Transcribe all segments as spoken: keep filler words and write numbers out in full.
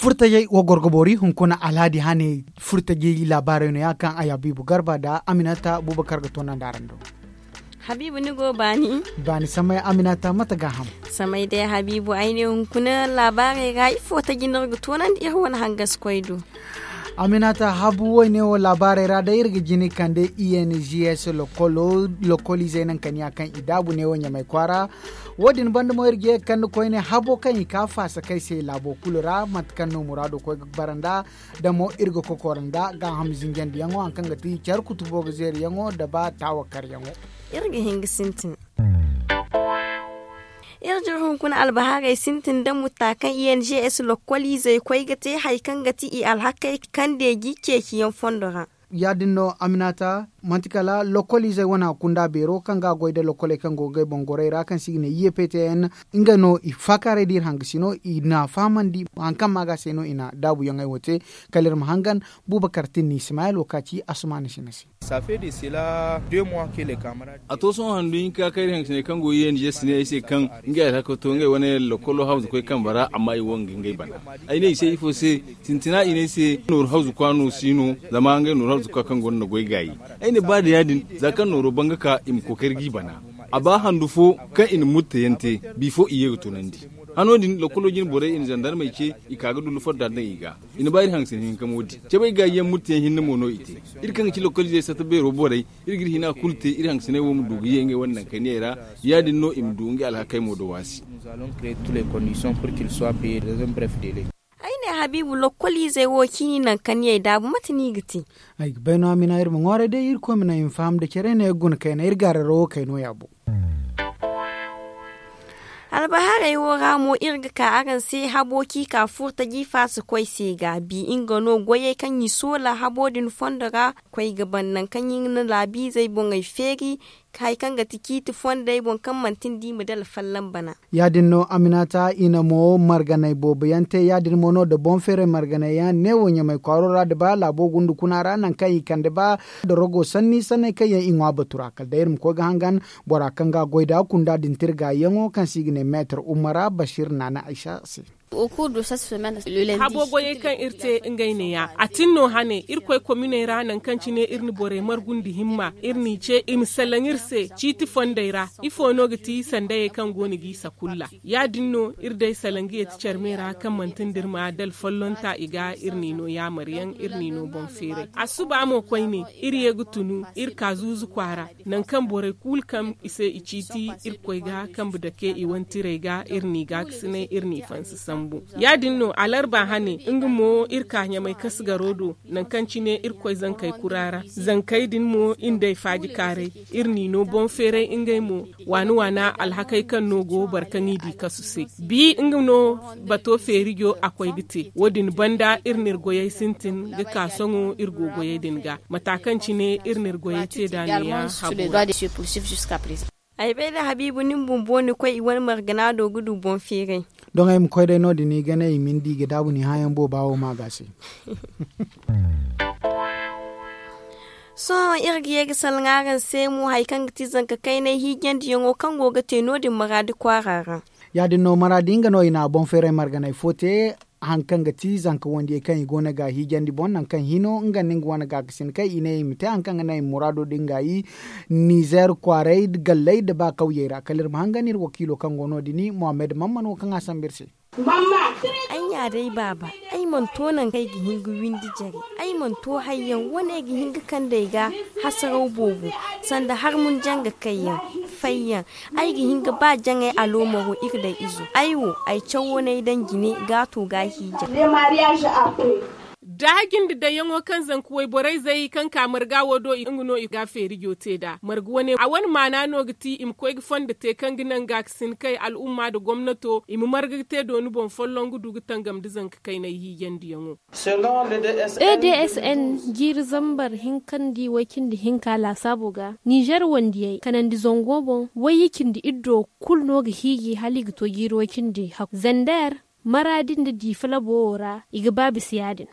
Furtajey wo goro ga boori hunkuna alhaadi hane. Furtajey laabaarey no- ya kaŋ a ya biibu garba nda aminata buubakar ga toonandi araŋ do. Habiibu ni go baani. Baani samay aminata mate gaaham? Samay day habiibu ay ne hunkuna laabaarey ra ifo taji no iri ga toonandi iri wane hangasikoy do. Aminata habu wo- ne wo laabaarey ra day iri ga jina i kande i n g s lokoliizey naŋ kaniya kaŋ i daabu ne wo ɲamay kwaara. Wo- din banda mo iri ga ye ga kande koyne habo kaŋ i ka faasa kay se laabo kulu ra mate kaŋ no muraado koy ga bara nd'a. Da mo iri ga kokoro nda gaaham zinjandiyaŋo hari kaŋ ga ti care kutubo ga zeeriyaŋo nda ba taawakaryaŋo. Iri ga hin ga sintin. Iri jire hunkuna albahaarey sintin nda mutta kaŋ i n g s lokoliizey koy ga te hari kaŋ ga ti i alhakey kaŋ deeji ceeciyaŋ fondo ra. Ya- din no aminata manti kala lokoliizey wane kunda beero kaŋ ga a goy nda lokoley kaŋ go ga ngey boŋ gorey ra kaŋ se i ga ne i ye p t n. Ngey no i faakaaray da iri hangasi no i na a fahamandi hari kaŋ maaga se no i na daabuyaŋey wo te. Kala iri ma hangan buubakar tinni ismayel wo ka ci asumaana sina se. A to sohõ handu hinka kaŋ iri hangasiney kaŋ go i n g s ne ay se kaŋ ngey alhaka to ngey wane lokolo hawzu koy kambe ra amma i wo nga ngey bana. Ay ne i se ifo se? Sintina i ne ay se nooru hawzu kwa no si no zama ngey nooru hawzu kwa kaŋ gonda na goy gaayi. Ay ne ba da ya- din za kaŋ nooro ban ga ka i ma kookari g'i bana. A ba handu fo kaŋ i na murtayaŋ te bifo i ye ga tunandi. Hano din lokolo jine borey i na zandarmey ce i ka ga dullu fodda daŋ i ga. I na ba iri hangasin hinka mo din cabay gaayiyaŋ murtayaŋ hinne mo no i te. Iri kaŋ ga ci lokoliizey sata beero borey iri ga iri hina kulu te iri hangasiney wo ma du ga ye ngey wane naŋ kayniyey ra. Ya- din no i ma du ngey alhakey mo da waasi. Ay ne habiibu lokoliizey wo ciini naŋ kaŋ ni ay daabu mate no i ga te? Ay ga bay no a mina iri ma ŋwaaray day irkoy ma naŋ i ma faham da care no iri guna kayna iri gaararo wo kay no ya boŋ. Albahaarey wo ra mo iri ga ka araŋ se habo kaŋ i ka furtaji faasa koy se ga bi nga no goyey kaŋ i soola habo din fondo ra. Koy ga ban naŋ kaŋ i na laabiizey boŋey feeri hari kaŋ ga ti ciiti fondey boŋ kaŋ manti nda i ma dala fallaŋ bana. Ya- din no aminata i na mo marganay boobo yaŋ te ya- din mo no nda boŋ feeray marganay yaŋ ne wo ɲamay kwaaro ra nda ba laabo gunda kuna ra naŋ kaŋ i kande ba nda rogo sanni sanney kaŋ yaŋ i ŋwa batu ra kala day iri ma koy ga hangan bora kaŋ ga a goy nd'a kunda din te iri gaayiyaŋo kaŋ se i ga ne meetar umara basiir naana aysa se. Habo goyey kaŋ iri te ngey neeya a tin no hane irkoy kominey ra naŋ kaŋ cine iri na borey margu nda himma iri n'i ce i ma salaŋ iri se ciiti fondey ra. Ifo no ga ti sandayey kaŋ go no g'i sakulla? Ya- din no iri day salaŋ ga yeeti care me ra kaŋ manti nda iri ma dala follonta i ga iri n'i no yaamaryaŋ iri n'i no boŋ feeray. Assuba mo koyne iri ye ga tunu iri ka zuuzu kwaara. Naŋ kaŋ borey kulu kaŋ i se i ciiti irkoy ga kambe dake i wantirey ga iri n'i gaakasinay iri n'i fansa sambu. Ya- din no alarba hane nga mo iri ka ɲamay kasgaro do naŋ kaŋ cine irkoy zankey kura ra. Zankey din mo iri nd'ey faaji kaaray iri n'i no boŋ feeray ngey mo waana waana alhakey kaŋ no go boro kaŋ i di kasu se. Bi nga no bato feerijo a koy ga te wo- din banda iri n'iri goyey sintin ga ka sohõ iri go goyey din ga mata kaŋ cine iri n'iri goyey te nd'a neeya habo ra. Ay bay da habiibu ni ma bumbo ni koy i wane margana do ga du boŋ feeray. Doŋ ay ma koy day no- din i ga ne i ma ni di i ga daabu ni hããyaŋ booba wo ma ga se. Sohõ iri ga ye ga salaŋ araŋ se mo hari kaŋ ga ti zanka kaynay hiijandiyaŋo kaŋ go ga te no- din maraadi kwaara ra. Ya- din no maraadi nga no i na boŋ feeray marganay fo te. Hari kaŋ ga ti zanka wandiyey kaŋ i go no ga hiijandi boŋ naŋ kaŋ hino nga nda nga wane gaakasin kaŋ i ne i ma te hari kaŋ ga naŋ i ma muraado din gaayi. Nizer kwaaray galley nda ba kawyey ra kala iri ma hangan iri wakiilo kaŋ go no- din muhammad mamman wo kaŋ a sambu iri se. Ay nya day baaba, ay mana to naŋ kaŋ ay ga hin ga windi jare. Ay mana to hayyaŋ wane ay ga hin ga kand'ey ga hasaraw boobo, sanda harmun janga kayyaŋ, fayyaŋ. Ay ga hin ga ba jaŋay aloomaro iri day izo. Ay wo, ay cawo n'ay daŋ jine gaato ga hiija. Da jinde dayyaŋo kaŋ zanka wayborey zay kaŋ ka marga wo do nga no i ga feerijo te nd'a marga wane a wane maana no ga ti i ma koy ga fondo te kaŋ ga naŋ gaakasin kay al'umma nda gomnato i ma marga ga te dooni boŋ folloŋ ga du ga tangam nda zanka kaynay hiijandiyaŋo. A d s n jiiri zambar hinkandi way-cindi hinka laasaabo ga nizer wandiyey kanandi zango boŋ way-cindi iddo kulu no ga hiiji hala i ga to jiiri way-cindi hakku zander maraadi nda diifa labo wo ra i ga ba bisa ya-din.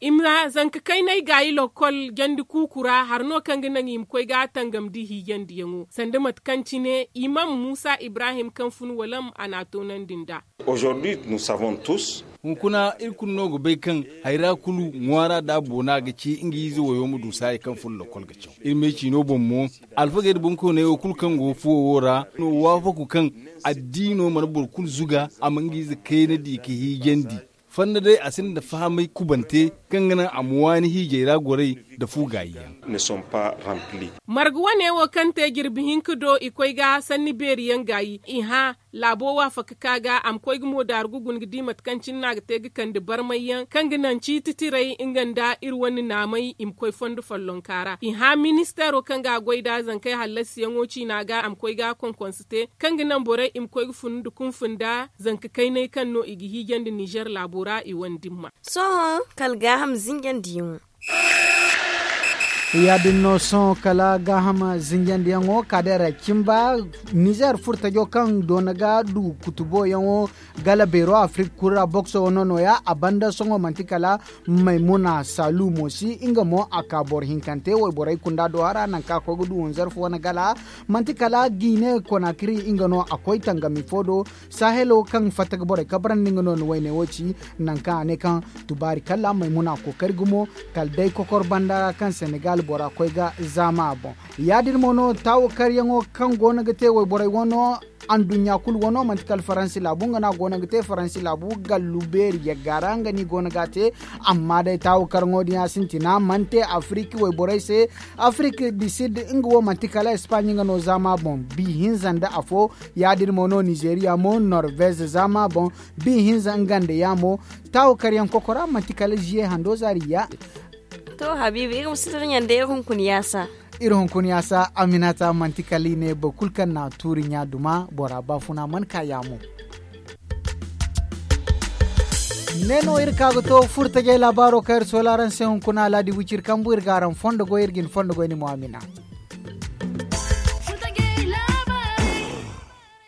I ma zanka kaynay gaayi lokkol jandi kuuku ra hari no kaŋ ga naŋ i ma koy ga a tangam nda hiijandiyaŋo sanda mate kaŋ cine imam muusa ibrahim kaŋ fun walam a n'a toonandi nd'a. Aujourd'hui nous savons tous. Hunkuna iri kulu no ga bay kaŋ hayra kulu ŋwaara da a boona ga ci nga ize wayo ma du saaya kaŋ furo lokol ga caw. Iri me ciino boŋ mo, alfagey nda boŋkooney wo kulu kaŋ go ga fuwo wo ra no waafaku kaŋ addiino mana boro kulu zuga a ma nga ize kayna di ga hiijandi. Fanda day a sinda fahamay kubante kaŋ ga naŋ a ma waani hiijay ra goray nda fu gaayi yaŋ. Marga wane wo kaŋ te jirbi hinka do i koy ga sanni beeri yaŋ gaayi i hã laabo waafaka ka ga a ma koy ga mo daaru ga guna ga di mate kaŋ cine no a ga te ga kande barmay yaŋ kaŋ ga naŋ ciiti tiray nga nda iri wane naamay i ma koy fondo follonka ra i hã ministeero kaŋ ga a goy nd'a zankey hallasiyaŋo ciina ga a ma koy ga a konkonse te kaŋ ga naŋ borey i ma koy ga funu nda kunfu nda zanka kaynay kaŋ no i ga hiijandi nizer laabo ra i wane dimma. Sohõ kala gaaham zinjandiyaŋo. Ya- din no sohõ kala gaaham zinjandiyaŋo kaadeera cimba nizer furtajo kaŋ doona ga du kutuboyaŋo gala beero afirik kulu ra bokso wane nooya a banda sohõ manti kala maymuna saalu mo si nga mo a ka boro hinkante wayborey kunda do hara nangu kaŋ a koy ga du wanzarfu wane gala manti kala giine konakiri nga no a koy tangami fo do. Sahelo kaŋ fatta ga borey kabrandi nga no ni wayne wo ci nangu kaŋ a ne kaŋ tubaari kala maymuna kookari gumo kala day kokor banda ra kaŋ senegal bora koy ga zaama a boŋ. Ya- din mo no taawakaryaŋo kaŋ go no ga te wayborey wano anduɲɲa kulu wano manti kala faransi laabu nga no a go no ga te faransi laabu gallu beeri yagga ra nga no i go no ga a te. Amma day taawakaraŋo din ya sintina mana te afiriki wayborey se. Afiriki di sid nga wo manti kala espaaɲi nga no zaama boŋ bi hinza nda afo. Ya- din mo no nizeriya mo norvez zaama boŋ bi hinza nga nda ya mo. Taawakaryaŋ kokora manti kala ziye hando zaari ya. To habiibi iri ma si tara ɲande iri hunkuna yaasa. Iri hunkuna yaasa aminata manti kala i ne boro kulu kaŋ na tuuri ɲa duma bora baafuna mana ka yaamo. Ne no iri ka ga to furtajey laabaaro kaŋ iri soola araŋ se hunkuna alaadi wiciri kambu iri ga araŋ fondo goy iri ga ni fondo goy ni mo amina.